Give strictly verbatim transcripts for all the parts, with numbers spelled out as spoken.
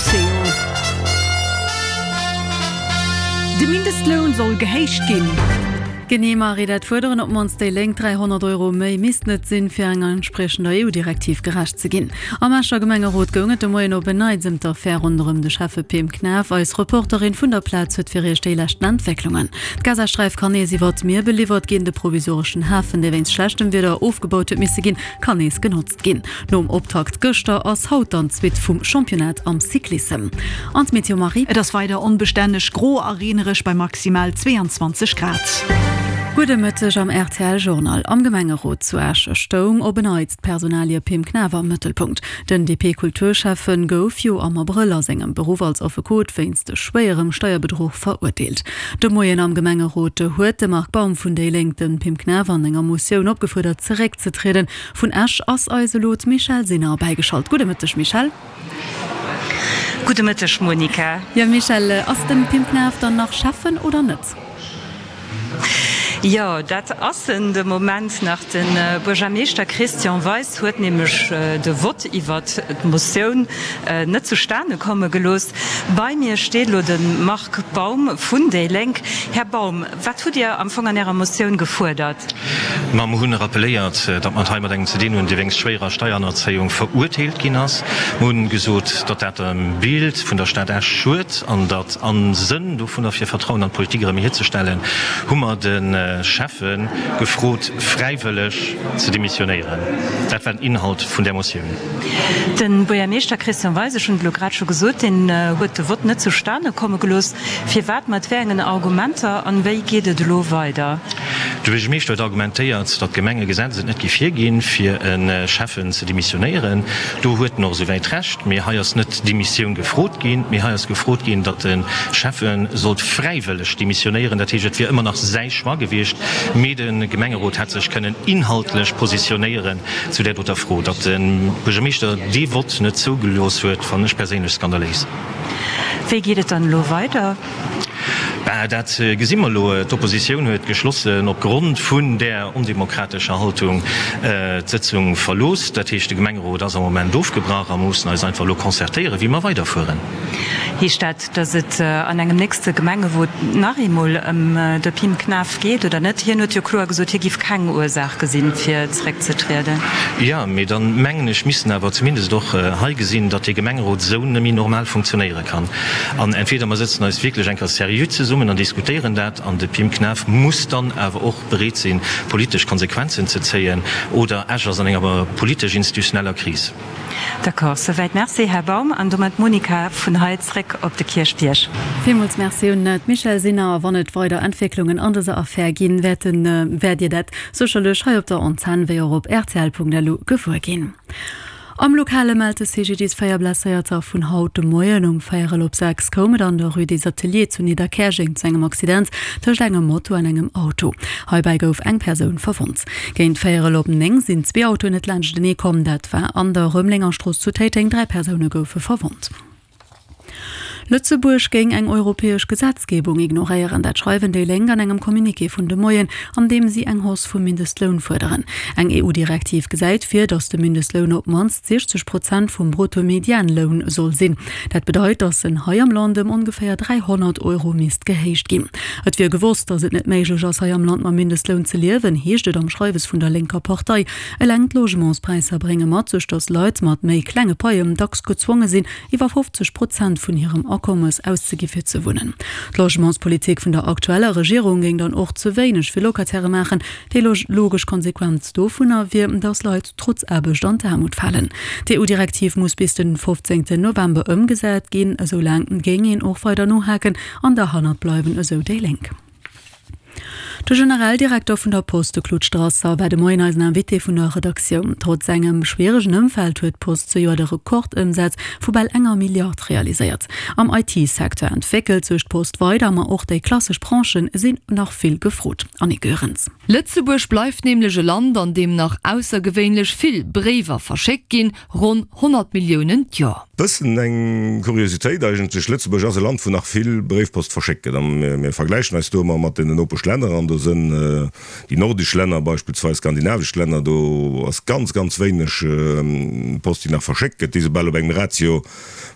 Océan. De Mindestloun soll gehéicht ginn. Genee Marie, dat fuerderen op d'mannst déi Lénk. dräihonnert Euro méi missten et sinn, fir enger entspriechender E U-Direktiv gerecht ze ginn. Am Escher Gemengerot goung et de Moien op en Neits ëm d'Affär ronderëm de Schäffe Pim Knaff. Eis Reporterin vun der Plaz huet fir Iech déi leschten Entwécklungen. D'Gazasträif kann nees iwwer d'Mier beliwwert ginn. De provisoreschen Hafen, dee wéinst schlechtem Wieder ofgebaut huet misse ginn, kann nees genotzt ginn. Nom Optakt gëschter ass haut dann d'Suite vum Championnat am Cyclissem. An d'Meteo Marie. Et ass weider onbestänneg, gro a reenereg bei maximal zweeanzwanzeg Grad. Gudde Mëtteg am R T L Journal. Am Gemengerot zu Esch stoung op en Neits d'Personalie Pim Knaff am Mëttelpunkt. Den D P-Kulturschäffe gouf jo am Abrëll a sengem Beruff als Affekot wéinst schwéierem Steierbedruch verurteelt. De Moien am Gemengerot huet de Marc Baum vun déi Lénk de Pim Knaff an enger Motioun opgefuerdert zeréckzetrieden. Vun Esch ass eis elo d'Michèle Sinner bäigeschalt. Gudde Mëtteg Michèle. Gudde Mëtteg Monica. Jo Michèle, ass de Pim Knaff dann nach Schäffen oder net? Jo, dat ass en de Moment nach. De Buergermeeschter Christian Weis huet nämlech de Vott iwwert d'Motioun net zustane komme gelooss. Bei mir steet elo de Marc Baum vun déi Lénk. Här Baum, wat hutt Dir am Fong an Ärer Motioun gefuerdert? Ma mer hunn rappeléiert, datt mer et hei mat engem ze dinn hunn, dee wéinst schwéierer Steierhannerzéiung verurteelt ginn ass. Mer hunn gesot, datt dat dem Bild vun der Stad Esch schued an datt am Sënn dovunner, fir Vertrauen an d'Politik erëm hierzestellen, hu mer de Schäffe gefrot, fräiwëlleg ze demissionéieren. Dat war den Inhalt vun där Motioun. De Buergermeeschter Christian Weis, ech hunn et elo grad scho gesot, deen huet de Vott net zustane komme gelooss. Firwat, mat wéi engen Argumenter an wéi geet et elo weider? De Buergermeeschter huet argumentéiert, datt d'Gemengegesetz et net géif hierginn, fir e Schäffen ze demissionéieren. Do huet en och esouwäit Recht. Mee hei ass net d'Demissioun gefrot ginn, mee hei ass gefrot ginn, datt de Schäffe sollt fräiwëlleg demissionéieren. Dat heescht, et wier ëmmer nach säi Choix gewiescht, mee de Gemengerot hätt sech kënnen inhaltlech positionéieren zu där doter Fro. Datt de Buergermeeschter dee Vott net zougelooss huet, fannen ech perséinlech skandaléis. Wéi geet et dann elo weider? Bah, dat gesi mer elo. D'Oppositioun huet geschlossen opgrond vun där ondemokratescher Haltung d'Sëtzung verlooss. Dat heescht, de Gemengerot ass am Moment ofgebrach a mer mussen eis einfach elo concertéieren, wéi mer weiderfueren. Heescht dat, datt et an engem nächste Gemengewot nach eemol ëm de Pim Knaff geet oder net? Hien huet jo kloer gesot, hie giff keng Ursaach gesinn, fir zeréckzetrieden. Jo, mee dann, mengen ech, misst en awer zumindest och hei gesinn, datt dee Gemengerot esou net méi normal funktionéiere kann. An entweder mer sëtzen eis wierklech eng Kéier seriö zesummen an diskutéieren dat, an de Pim Knaff muss dann awer och bereet sinn, politesch Konsequenzen ze zéien, oder Esch ass an enger politesch-institutioneller Kris. D'accord, souwäit. Merci, Här Baum. An domat d'Monica vun hei zréck op de Kierchbierg. Villmools Merci un d'Michèle Sinner. Wann et weider Entwécklungen an dëser Affär ginn, wäerten, wäert Dir dat sécherlech hei op der Antenn wéi och op rtl Punkt lu gewuer ginn. Am Lokale mellt de C G D I S véier Blesséierter vun haut de Moien. Um véierel op sechs koum et an der Rue des Ateliers zu Nidderkäerjeng zu engem Accident tëscht engem Moto an engem Auto. Heibäi gouf eng Persoun verwonnt. Géint véierel op néng sinn zwee Autoen net laanschtenee komm. Dat war an der Rëmelengerstrooss zu Téiteng. Dräi Persoune goufe verwonnt. Lëtzebuerg géing eng europäesch Gesetzgebung ignoréieren, dat schreiwen déi Lénk an engem Communiqué vun de Moien, an deem si eng Hausse vum Mindestloun fuerderen. Eng E U-Direktiv gesäit vir, datt de Mindestloun op d'mannst siechzeg Prozent vum Bruttomedianloun soll sinn. Dat bedeit, datt en hei am Land ëm ongeféier dräihonnert Euro misst gehéicht ginn. Et wier gewosst, datt et net méiglech ass, hei am Land mam Mindestloun ze liewen, heescht et am Schreiwes vun der lénker Partei. Eleng d'Logementspräisser brénge mat sech, datt Leit mat méi klenge Paien dacks gezwonge sinn, iwwer fofzeg Prozent vun hirem Akommes auszegi fir ze wunnen. D'Logementspolitik vun der aktueller Regierung géing dann och ze wéineg fir Locataire maachen. Déi logesch Konsequenz dovunner wier, datt Leit trotz Aarbecht an d'Aarmut falen. D'E U-Direktiv muss bis den fofzéngten November ëmgesat ginn. Esou laang géing een och weider nohaken an derhannert bleiwen, esou déi Lénk. De Generaldirekter vun der Post, de Claude Strasser, war de Moien eisen Invité vun der Redaktioun. Trotz engem schwieregen Ëmfeld huet d'Post zejoert e Rekordëmsaz vu bal enger Milliard realiséiert. Am I T-Secteur entwéckelt sech d'Post weider, ma och déi klassesch Branchë sinn nach vill gefrot. Annick Goerens. Lëtzebuerg bleift nämlech e Land, an deem nach aussergewéinlech vill Bréiwer verschéckt ginn, ronn honnert Milliounen d'Joer. Bëssen eng Kuriositéit eigentlech, Lëtzebuerg ass e Land, wou nach vill Bréifpost verschéckt gëtt. A mir vergläichen eis do ëmmer mat den Nopeschlänner an Do sënn déi nordesch Länner beispillsweis, skandinavesch Länner, do ass ganz, ganz wéineg Post, déi nach verschéckt gëtt. Déi si bal op engem Ratio,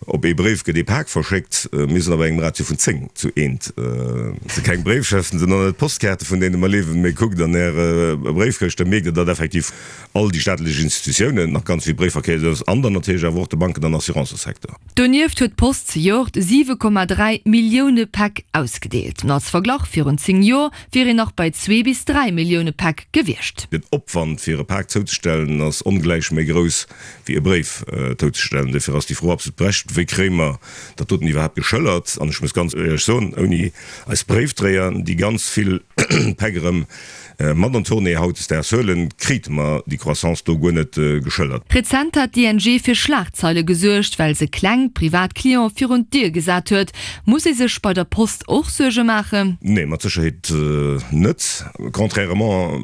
op ee Bréif gëtt ee Pak verschéckt. Mir sinn op engem Ratio vun zéng zu eent. Et si keng Bréifschëften, et sinn och net Postkaarte vun deene mer liewen. Mee kuckt an Är Bréifkëscht, da mierkt Der, datt effektiv all déi staatlech Institutiounen nach ganz vill Bréifverkéier hunn an dann natierlech awer och de Banken an Assurancësecteur. Donieft huet d'Post zejoert siwe Komma dräi Millioune Päck ausgedeelt. Als Verglach, Virun zéng Joer wier een nach bei zwee bis dräi Millioune Päck gewiescht. Den Opwand fir e Pak zouzestellen ass ongläich méi grouss wéi e Bréif zouzestellen. Dofir ass déi Fro absolut berechtegt, Wéi kréie mer dat doten iwwerhaapt geschëllert? An ech muss ganz éierlech soen, ouni eis Bréifdréier, déi ganz vill Päck erëm mat an d'Tournée hautdesdaags huelen, krite mer déi Croissance do guer net geschëllert. Rezent hat d'ING fir Schlagzeile gesuergt, well se kleng privat Cliente virun d'Dier gesat huet. Muss ee sech bei der Post och Suerge maachen? Nee, mat Sécherheet net. Contrairement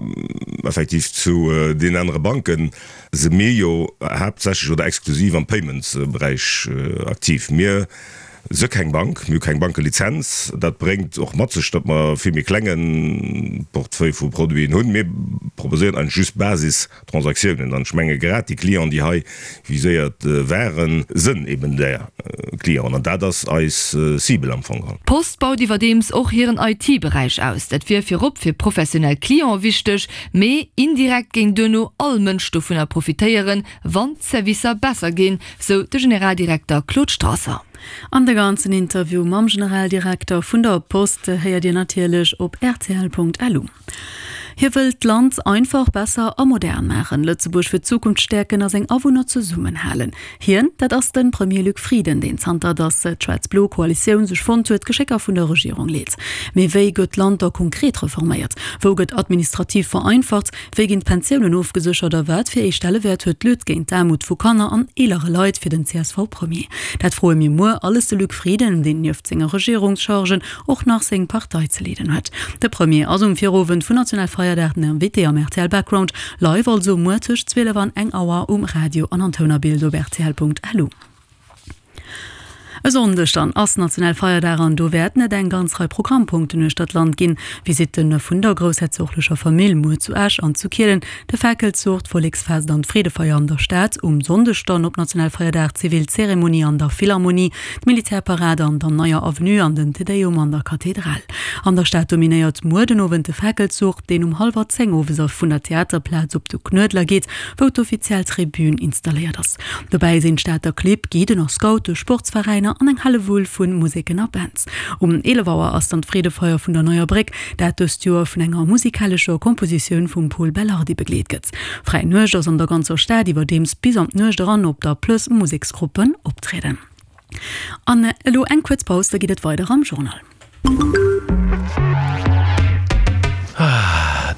effektiv zu deenen anere Banken si mir jo haaptsächlech oder exklusiv am Payments-Beräich aktiv. Mir si keng Bank, mir hu keng Bankelizenz. Dat bréngt och mat sech, datt mer e vill méi klenge Portefeuille vu Produiten hunn. Mir proposéieren eigentlech just Basistransaktiounen. An ech menge grad déi Clienten, déi hei viséiert waren, sënn eben där Clienten. An dat ass eis Cible am Fong geholl. D'Post baut iwwerdeems och hiren I T-Beräich aus. Dat wier virop fir professionell Cliente wichteg, mee indirekt géing duerno all Mënsch dovunner profitéieren, wann d'Servicer besser ginn, sou de Generaldirekter Claude Strasser. An de ganzen Interview mam Generaldirekter vun der Post héiert Dir natierlech op rtl Punkt lu. Hie wëllt d'Land einfach, besser a modern maachen, Lëtzebuerg fir d'Zukunft stäerken a seng Awunner zesummenhalen. Hien, dat ass de Premier Luc Frieden, deen zanter datt d'schwaarz-blo Koalitioun sech fonnt huet, d'Geschécker vun der Regierung leet. Mee wéi gëtt d'Land da konkret reforméiert? Wou gëtt administrativ vereinfacht? Wéi ginn d'Pensiounen ofgeséchert a wat fir ee Stellewäert huet d'Lutte géint d'Aarmut vu Kanner an eelere Leit fir den C S V-Premier? Dat froe mir muer alles de Luc Frieden, deen nieft senge Regierungschargen och nach seng Partei ze leeden huet. De Premier ass um Virowend vun Nationalfeierdag den Invité am R T L Background, live also muer tëscht zwielef an eng Auer um Radio an an Toun a Bild op rtl Punkt lu. E Sonndeg dann ass Nationalfeierdag an do wäerten et eng ganz Rei Programmpunkten uechter d'Land ginn, Visitte vun der groussherzoglecher Famill muer zu Esch an zu Kielen, de Fakelzuch, d'Volleksfest an d'Freedefeier an der Stad, um Sonndeg dann op Nationalfeierdag d'zivil Zeremonie an der Philharmonie, d'Militärparad an der Neier Avenue an den Te Deum an der Kathedral. An der Stad dominéiert muer den Owend de Fakelzuch, deen um hallwer zéng owes vun der Theaterplaz op de Knuedler geet, wou d'offiziell Tribün installéiert ass. Dobäi sinn d'Stater Clibb, Guiden a Scoute, Sportsveräiner an eng Hellewull vu Museken a Bands. Um eelef Auer ass dann d'Freedefeier vun der Neier Bréck, dat dëst Joer vun enger musikalescher Kompositioun vum Pol Belardi begleet gëtt. Fräi Nuecht ass an der ganzer Stad iwwerdeems bis an d'Nuecht eran op der Plëss Museksgruppen optrieden. An elo eng kuerz Paus, da geet et weider am Journal.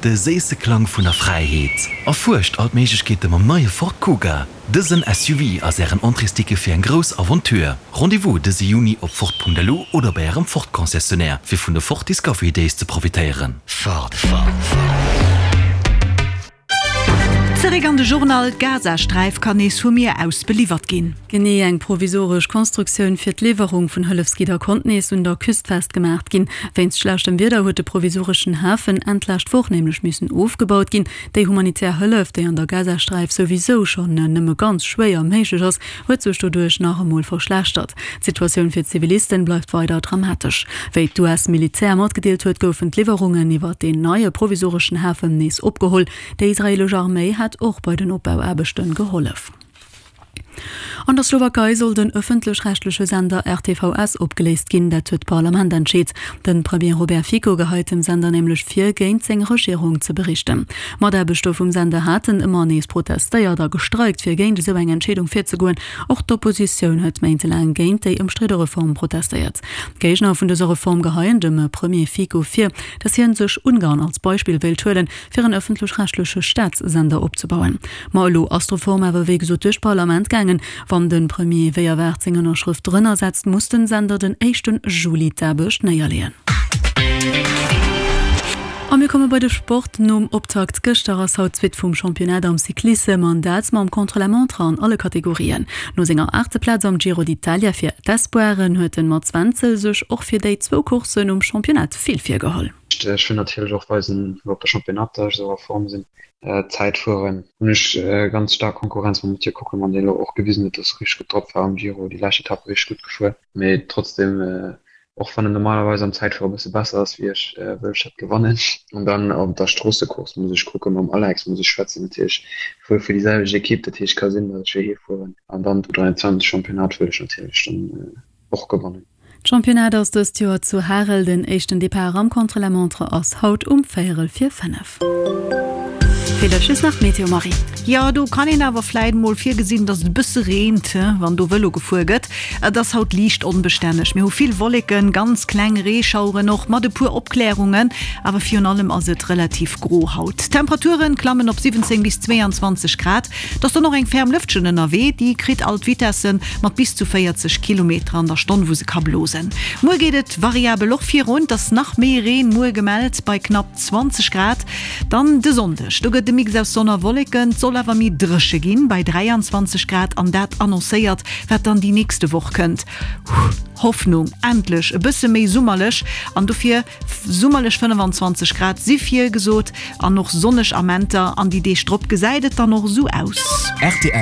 De séisse Klang vun der Fräiheet. Erfuerscht all d'Méiglechkeete mam neie Ford Kuga. Dësen S U V ass ären Entréesticket fir eng grouss Aventure. Rendez-vous dëse Juni op Ford Punkt L U oder bei ärem Ford-Concessionnaire, fir vun de Ford Discovery Days ze profitéieren. Ford, Ford, Ford. Zeréck an de Journal. D'Gazasträif kann nees vum Mier aus beliwwert ginn. Genee, eng provisoresch Konstruktioun fir d'Liwwerung vun Hëllefsgidder konnt nees un der Küst festgemaach ginn. Wéinst schlechtem Wieder huet de provisoreschen Hafen Enn d'lescht Woch nämlech missen ofgebaut ginn. Déi humanitär Hëllef, déi an der Gazasträif souwisou schonn nëmme ganz schwéier méiglech ass, huet sech doduerch nach emol verschlechtert. D'Situatioun fir d'Zivilisten bleift weider dramatesch. Wéi d'U S-Militär matgedeelt huet, goufen d'Liwwerungen iwwer deen neie provisoreschen Hafen nees opgeholl. Déi israeelesch Arméi hat och bei den Opbauaarbechte gehollef. An der Slowakei soll den ëffentlech-rechtleche Sender R T V S opgeléist ginn, dat huet d'Parlament entscheet. De Premier Robert Fico geheit dem Sender nämlech vir, géint seng Regierung ze berichten. Mataarbechter vum Sender haten ëmmer nees protestéiert a gestreikt, fir géint esou eng Entscheedung virzegoen. Och d'Oppositioun huet méintelaang géint déi ëmstridde Reform protestéiert. D'Géigner vun dëser Reform geheien dem Premier Fico vir, datt hien sech Ungarn als Beispill wéilt huelen, fir en ëffentlech-rechtleche Staatssender opzebauen. Ma elo ass d'Reform awer wéi gesot duerch d'Parlament gaangen. Wann de Premier wéi erwaart seng Ënnerschrëft drënner setzt, muss den Sender den éischten Juli d'Aarbecht néierleeën. A mir komme bei de Sport. Nom Optakt gëschter ass haut d'Suite vum Championnat am Cyclissem an dat mam Contre-la-montre an alle Kategorien. No senger aachte Plaz am Giro d'Italia fir d'Espoiren huet de Mats Wenzel sech och fir déi zwou Courssen um Championnat vill virgeholl. Ech wëll natierlech och weisen, elo op der Championnat, datt ech esou a Form sinn. Zäitfueren hunn ech ganz staark Konkurrenz mam Mathieu Kockelmann, deen elo och gewisen huet, datt e richteg gutt drop war am Giro, déi lescht Etapp richteg gutt gefuer. Mee trotzdeem, och wann en normalerweis am Zäitfuere e bësse besser ass wéi ech, wëll ech dat gewannen. An dann op der Stroossecourse muss ech kucken, mam Alex muss ech schwätzen natierlech, ech fuere fir déi selwecht Ekipp, dat heescht ka sinn, datt ech fir hie fueren. An dann d'U dräianzwanzeg Championnat wëll ech natierlech dann och gewannen. D'Championnat ass dëst Joer zu Harel. Den éischten Depart am Contre-la-montre ass haut um véierel vir fënnef. Fir dech just nach d'Meteo, Marie. Jo, do kann een awer vläit mol virgesinn, dass et e bësse reent, wann do Vëlo gefuer gëtt. Et ass haut liicht onbestänneg, mir hu vill Wolleken, ganz kleng Reeschaueren och mat e puer Opklärungen, awer virun allem ass et relativ gro haut. D'Temperaturen klammen op siwwenzéng bis zweeanzwanzeg Grad. Et ass dann och eng ferm Lëftchen ënnerwee, déi kritt all d'Vitessen mat bis zu véierzeg Kilometer an der Stonn, wou se ka blosen. Muer geet et variabel och virun, et ass nach méi Reen muer gemellt bei knapp zwanzeg Grad. Dann de Sonndeg, do gëtt e Mix aus Sonn a Wolleken, et soll awer méi dréche ginn bei dräianzwanzeg Grad an dat annoncéiert, wat dann déi nächste Woch kënnt. Hoffnung, endlech e bësse méi summerlech an dofir summerlech fënnefanzwanzeg Grad si virgesot an och sonneg Amenter an déi Deeg drop gesäit et dann och esou aus. Rtl.